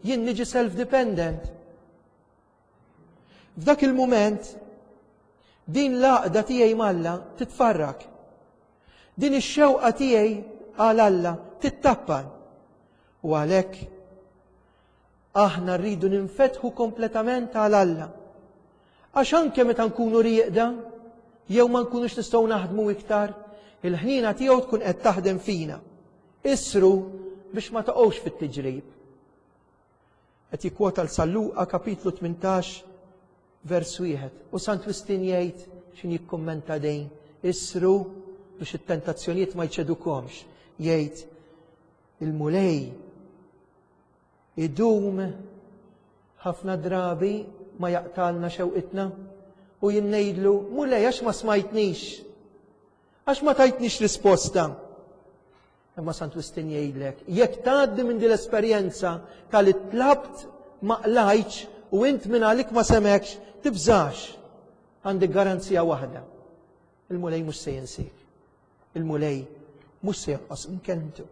jien niġi self-dependent. F'dak il-mument din l-għaqda tiegħi m'Alla titfarrak. Din ix-xewqa tiegħi għal Alla tittappan. U għalhekk aħna rridu ninfetħu kompletament għal Alla. Għax anke meta nkunu rieqda, jew ma nkunux nistgħu naħdmu iktar, il-ħnina tiegħu tkun qed taħdem fina. Isru biex ma taqgħux fit-tiġrib. Qed jikkwota l San Luqa kapitlu tmintax vers wieħed. U Sant Wistin jgħid x'in jikkummenta dejn, isru biex it-tentazzjonijiet ma jċedukomx. Jgħid il-Mulej idum ħafna drabi ma jaqtalna xewqitna U jien ngħidlu, Mulej, għax ma smajtnix? Għax ma tajtnix risposta? Imma Sant Wistin jgħidlek, jekk tgħaddi minn din l-esperjenza tal tlabt ma qlajtx u int minn għalik ma semekx, tibżax. Għandek garanzija waħda. Il-Mulej mhux se jinsik. Il-Mulej mhux se jonqos minn kelmtu.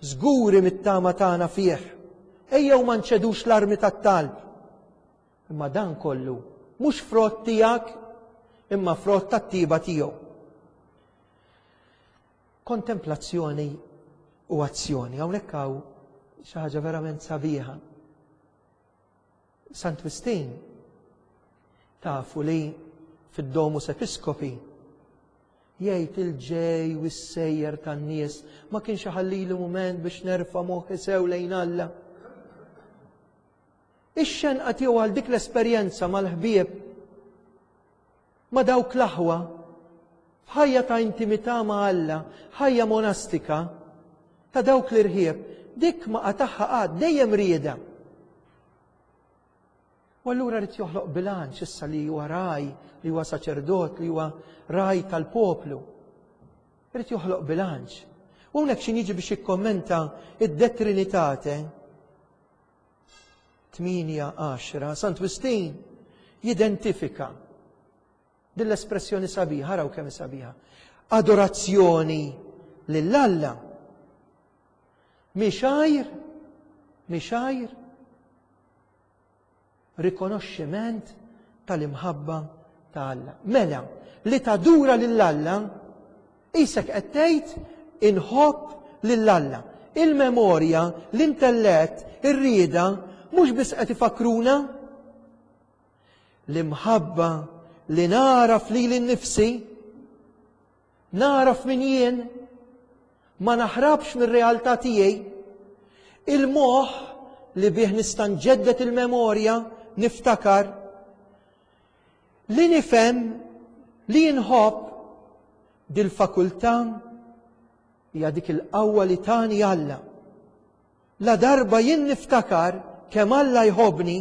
Żguri mit-tama tagħna fih. Ejjew ma nċedux l-armi tat-talb. Imma dan kollu mhux frott tiegħek, imma frott tat-tiba tiegħu. Kontemplazzjoni u azzjoni. Hawnhekk hawn xi ħaġa verament sabiħa. Sant Wistin tafu li fid-Domus Episcopi jgħid il-ġej u s-sejjer tan-nies ma kienx iħallili mument biex nerfa' moħħi sew lejn Alla. Ix-xenqa tiegħu għal dik l-esperjenza mal-ħbieb ma' dawk l-aħwa f'ħajja ta' intimità ma' Alla, ħajja monastika ta' dawk l-irħieb, dik ma qatagħha qatt, dejjem rieda. U allura rrid joħloq bilanċ issa li huwa ragħaj, li huwa saċerdot, li huwa ragħaj tal-poplu. Irid joħloq bilanċ. U hawnhekk xi jiġi biex jikkommenta id-De Trinitate tmienja għaxra, Sant Wistin jidentifika din l-espressjoni sabiħa, araw kemm sabiħa. Adorazzjoni lil Alla mhix għajr, mhix għajr rikonoxximent tal-imħabba ta' Alla. Mela, li tadura lil Alla isek qed tgħid inħobb lil Alla. Il-memorja, l-intellett, ir-rieda mhux biss qed ifakruna l-imħabba li naraf lili nnifsi, naraf min jien, ma naħrabx mir-realtà tiegħi, il-moħħ li bih nista' nġeddet il-memorja, niftakar, li nifhem li nħobb dil-fakultà hija dik il-qawwa li tani Alla. La darba jien niftakar kemm Alla jħobbni,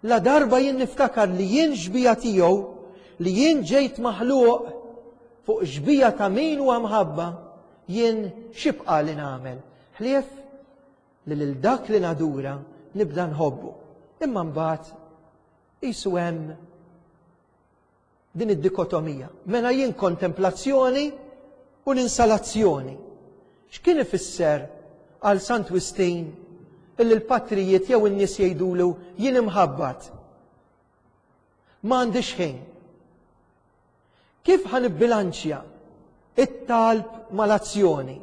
la darba jien niftakar li jien xbija tiegħu, li jien ġejt maħluq fuq xbija ta' min huwa mħabba, jien x'ibqa' li nagħmel? Ħlief li lil dak li nadura nibda nħobbu. Imma mbagħad qisu hemm din id-dikotomija. Mela jien kontemplazzjoni u l-insalazzjoni. X'kien ifisser għal Sant Wistin illi l-patrijiet jew in-nies jgħidulu jien imħabbat? Ma għandix ħin. Kif ħa nibbilanċja it-talb mal-azzjoni?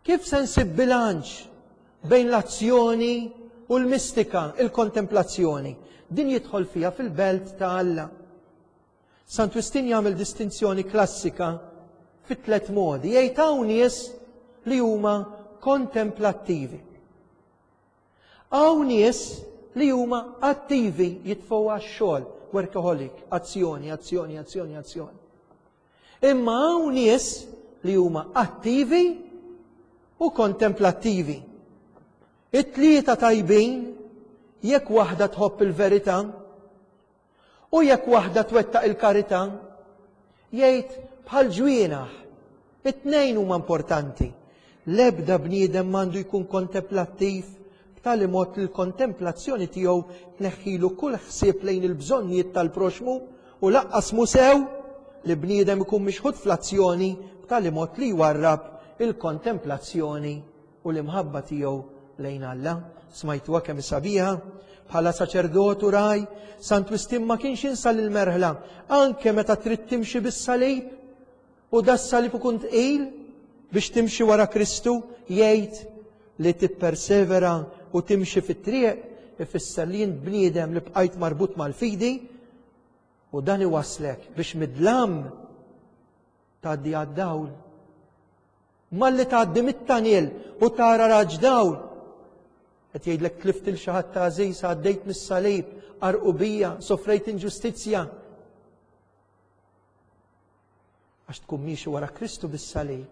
Kif se nsib bilanċ bejn l-azzjoni u l-mistika, il-kontemplazzjoni? Din jidħol fiha fil-belt ta' Alla. Sant Wistin jagħmel distinzjoni klassika fit tliet modi. Jgħid hawn nies li huma kontemplattivi. Hawn nies li huma attivi, jitfgħu għax-xogħol, workaholic, azzjoni, azzjoni, azzjoni, azzjoni. Imma hawn nies li huma attivi u kontemplattivi. It-tlieta tajbin jekk waħda tħobb il-verità u jekk waħda twettaq il-karità, jgħid bħal ġwienaħ, it-tnejn huma importanti. L-ebda bniedem m'għandu jkun kontemplattiv b'tali mod li l-kontemplazzjoni tiegħu tneħħilu kull ħsieb lejn il-bżonnijiet tal-proxmu, u laqqas mu sew li bniedem ikun mixħut fl-azzjoni b'tali mod li jwarrab il-kontemplazzjoni u l-imħabba tiegħu lejn Alla. Smajtuha kemm sabiħa? Bħala saċerdot u ragħaj, Sant Wistin ma kienx jinsa l-merħla, anke meta trid timxi bis-salib, u das-salib ikun tqil biex timxi wara Kristu, jgħid li tippersevera u timxi fit-triq ifisser li jien bniedem li bqajt marbut mal-fidi, u dan iwaslek biex mid-dlam tgħaddi għad-dawl. Malli tgħaddi mit-tanil u tara raġ dawl, qed jgħidlek tlift il xi ħadd ta' għażiż, għaddejt mis-salib, qarqu bija, sofrejt inġustizzja. Għax tkun miexi wara Kristu bis-salib,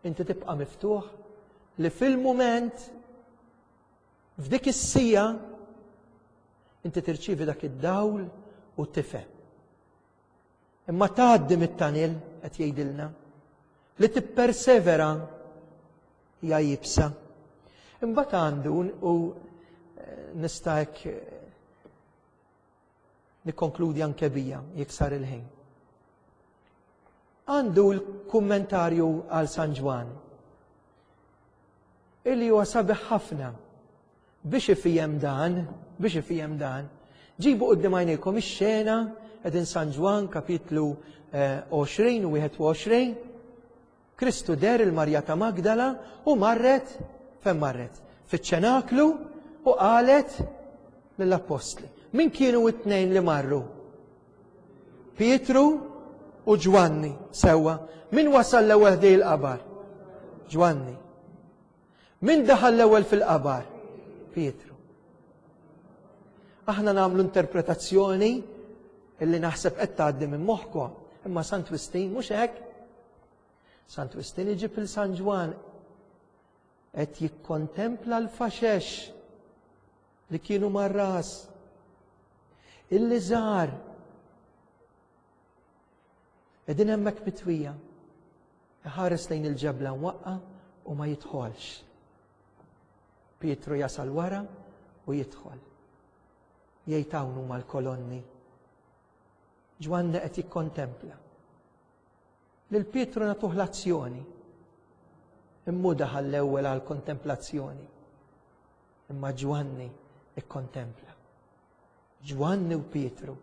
inti tibqa' miftuħ li fil-mument f'dik is-sija inti tirċievi dak id-dawl u u tifhem. Imma tgħaddi mit-tunnel, qed jgħidilna, li tippersevera hija iebsa. Imbagħad għandu u eh, nista' hekk eh, nikkonkludi anke bija jekk sar il-ħin. Għandu l-kummentarju għal San Ġwann illi huwa sabiħ ħafna biex ifhem dan, biex ifhem dan. Ġibu quddiem għajnejkom ix-xena qegħdin San Ġwann kapitlu għoxrin u wieħed u għoxrin. Kristu deher lil Marja ta' Magdala u marret, fejn marret? Fiċ-ċenaklu u qalet lill-appostli. Min kienu it-tnejn li marru? Pietru u Ġwanni, sewwa. Min wasal l-ewwel ħdejn il-qabar? Ġwanni. Min daħal l-ewwel fil-qabar? Pietru. Aħna nagħmlu interpretazzjoni illi naħseb qed tgħaddi minn moħħkom, imma Sant Wistin mhux hekk. Sant Wistin iġib lil San Ġwann qed jikkontempla l-faxex li kienu mar-ras. Il-liżar qegħdin hemmhekk mitwija. Iħares lejn il-ġebla mwaqqa u ma jidħolx. Pietru jasal wara u jidħol. Jgħid, "Hawn huma l-kolonni." Ġwanni qed jikkontempla. Lil Pietru nagħtuh l-azzjoni. Immu daħal l-ewwel għal kontemplazzjoni. Imma Ġwanni ikkontempla. Ġwanni u Pietru,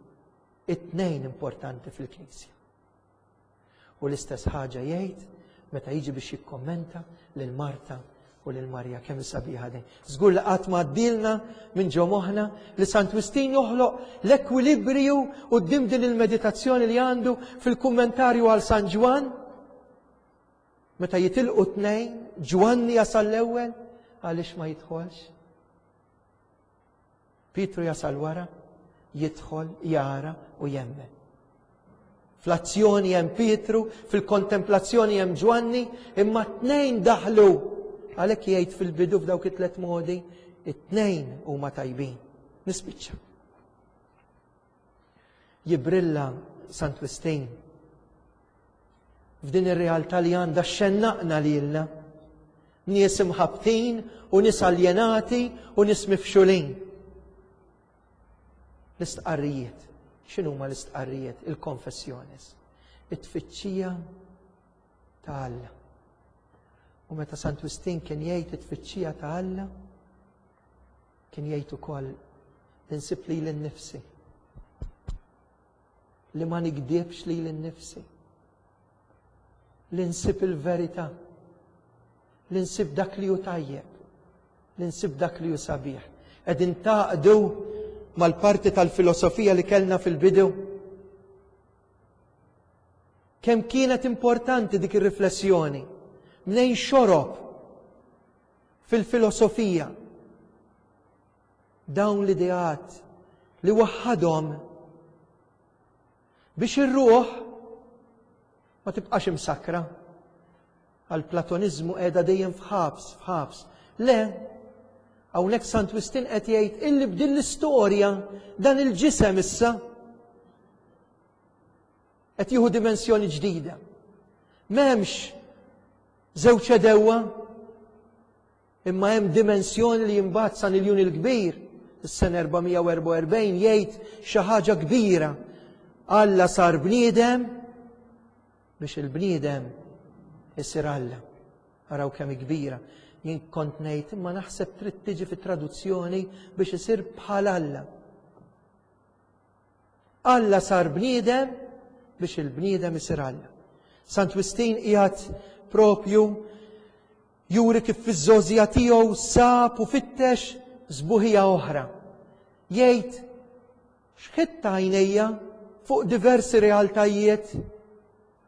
it-tnejn importanti fil-Knisja. U l-istess ħaġa jgħid meta jiġi biex jikkommenta lil Marta u lil Marja. Kemm sabiħa din. Żgur li qatt ma għaddielna minn ġo moħħna li Sant Wistin joħloq l-ekwilibrju u din il-meditazzjoni li għandu fil-kummentarju għal San Ġwann. Meta jitilqu tnejn, Ġwanni jasal l-ewwel, għaliex ma jidħolx? Pietru jasal wara, jidħol, jara u jemmen. Fl-azzjoni hemm Pietru, fil-kontemplazzjoni hemm Ġwanni, imma t-tnejn daħlu. Għalhekk jgħid fil-bidu f'dawk it-tlet modi, it-tnejn huma tajbin. Nispiċċa. Jibrilla Sant Wistin f'din ir-realtà li għandha xxennaqna lilna. Nies imħabtin u nies aljenati u nies mifxulin. L-istqarrijiet. X'inhuma l-istqarrijiet? Il-confessiones. It-tfittxija ta' Alla. U meta Sant Wistin kien jgħid it-tfittxija ta' Alla, kien jgħid ukoll li nsib lili nnifsi. Li ma nigdibx lili nnifsi. Li nsib il-verità. Li nsib dak li hu tajjeb. Li nsib dak li hu sabiħ. Qegħdin taqdu mal-parti tal-filosofija li kellna fil-bidu. Kemm kienet importanti dik ir-riflessjoni? Mnejn xorob fil-filosofija dawn l-ideat li waħħadhom biex ir-ruħ ma tibqax imsakra għal platonizmu qiegħda dejjem f'ħabs, f'ħabs. Le, hawnhekk Sant Wistin qed jgħid illi b'din l-istorja dan il-ġisem issa qed jieħu dimensjoni ġdida. M'hemmx żewġ għedewwa, imma hemm dimensjoni li imbagħad San Iljun il-Kbir, is-sena erba' mija u erbgħa u erbgħin, jgħid xi ħaġa kbira. Alla sar bniedem biex il-bniedem isir Alla. Araw kemm kbira. Jien kont ngħid, imma naħseb trid tiġi fit-traduzzjoni biex isir bħal Alla. Alla sar bniedem biex il-bniedem isir Alla. Sant Wistin qiegħed propju juri kif fiż-żgħożija tiegħu sab u fittex sbuħija oħra. Jgħid, "Xħitt għajnejja fuq diversi realtajiet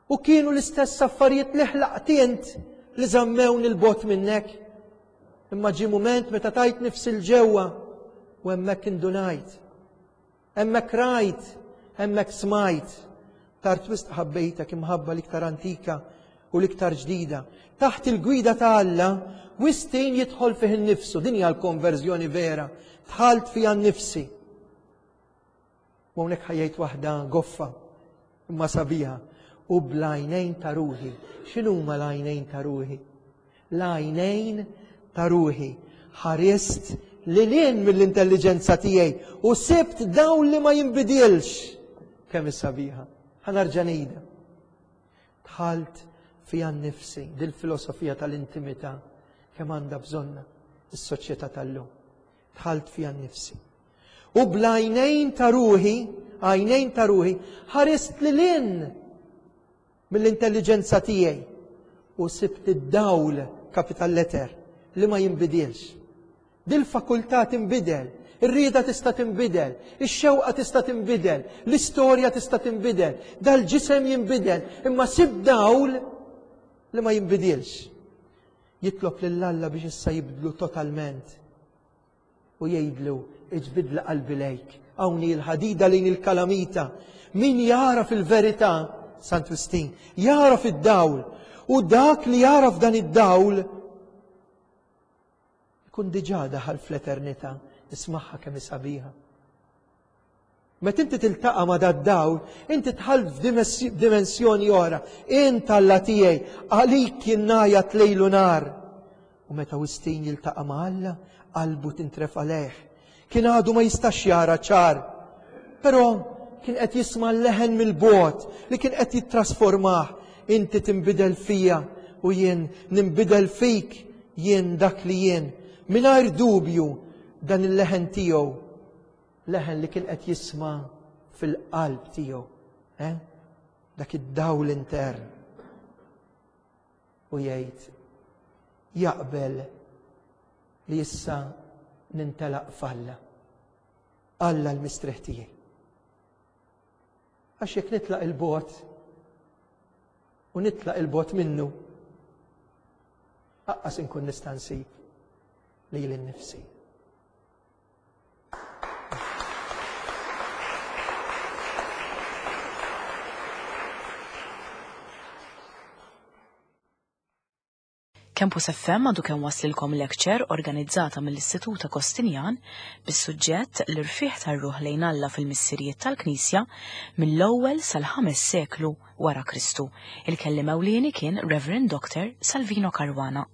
u kienu l-istess affarijiet li ħlaqt int li żammewni 'l bogħod minnek. Imma ġi mument meta tajt nifsi 'l ġewwa u hemmhekk indunajt. Hemmhekk rajt, hemmhekk smajt. Tard wisq ħabbejtek imħabba l-iktar antika u l-iktar ġdida." Taħt il-gwida ta' Alla, Wistin jidħol fih innifsu, din hija l-konverżjoni vera. Dħalt fija nnifsi. U hawnhekk ħa jgħid waħda goffa, imma sabiħa, u bl-għajnejn ta' ruħi. X'inhuma l-għajnejn ta' ruħi? L-għajnejn ta' ruħi. Ħarist lil hinn mill-intelliġenza tiegħi u sibt dawl li ma jinbidilx. Kemm is-sabiħa. Ħa nerġa' ngħidha. Dħalt fija nnifsi, dil-filosofija tal-intimità kemm għandha bżonna is-soċjetà tal-lum. Dħalt fija nnifsi. U bl-għajnejn ta' ruħi, għajnejn ta' ruħi, ħarist lil hinn mill-intelliġenza tiegħi u sibt id-dawl, capital letter, li ma jinbidilx. Dil-fakultà tinbidel, ir-rieda tista' tinbidel, ix-xewqa tista' tinbidel, l-istorja tista' tinbidel, dal-ġisem jinbidel, imma sib dawl li ma jinbidilx. Jitlob lil Alla biex issa jibdlu totalment u jgħidlu iġbidli qalbi lejk, hawn il-ħadida lejn il-kalamita. Min jara fil-verità, Sant Wistin, jara fid-dawl, u dak li jara f'dan id-dawl ikun diġà daħal fl-eternità. Ismagħha kemm sabiħa. Meta inti tiltaqa' ma' dad-dawl, inti dħalt f'dimensjoni oħra. Int Alla tiegħi, għalik jien ngħajjat lejl u nhar. U meta Wistin jiltaqa' ma' Alla, qalbu tintrefa' lejh. Kien għadu ma jistax jara ċar, però kien qed jisma' l-leħen mill-bogħod li kien qed jittrasformah. Inti tinbidel fija u jien ninbidel fik, jien dak li jien. Mingħajr dubju dan il-leħen tiegħu, leħen li kien qed jisma' fil-qalb tiegħu, eh? Dak id-dawl intern. U jgħid jaqbel li issa nintelaq f'Alla. Alla l-mistrieħ tiegħi. Għax jekk nitlaq il-bogħod u nitlaq il-bogħod minnu, aqqas inkun nista' nsib lili nnifsi. Campus F M għadu kemm waslilkom lecture organizzata mill-Istitut Agostinjan bis-suġġett l-irfieħ tar-ruħ lejn Alla fil-missirijiet tal-Knisja mill-ewwel sal-ħames seklu wara Kristu. Il-kelliem ewlieni kien Reverend Doctor Salvino Caruana.